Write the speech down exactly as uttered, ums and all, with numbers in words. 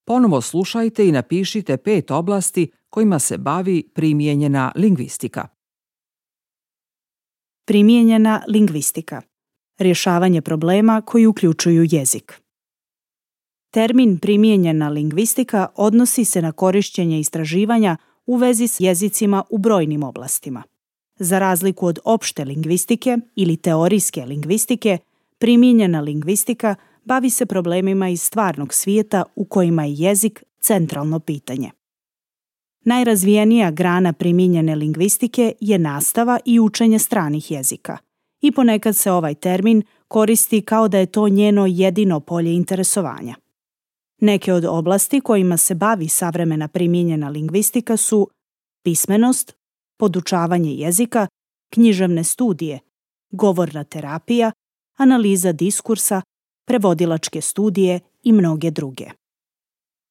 Ponovo slušajte i napišite pet oblasti kojima se bavi primijenjena lingvistika. Primijenjena lingvistika. Rješavanje problema koji uključuju jezik. Termin primijenjena lingvistika odnosi se na korištenje istraživanja u vezi s jezicima u brojnim oblastima. Za razliku od opšte lingvistike ili teorijske lingvistike, primijenjena lingvistika bavi se problemima iz stvarnog svijeta u kojima je jezik centralno pitanje. Najrazvijenija grana primijenjene lingvistike je nastava i učenje stranih jezika i ponekad se ovaj termin koristi kao da je to njeno jedino polje interesovanja. Neke od oblasti kojima se bavi savremena primijenjena lingvistika su pismenost, podučavanje jezika, književne studije, govorna terapija, analiza diskursa, prevodilačke studije i mnoge druge.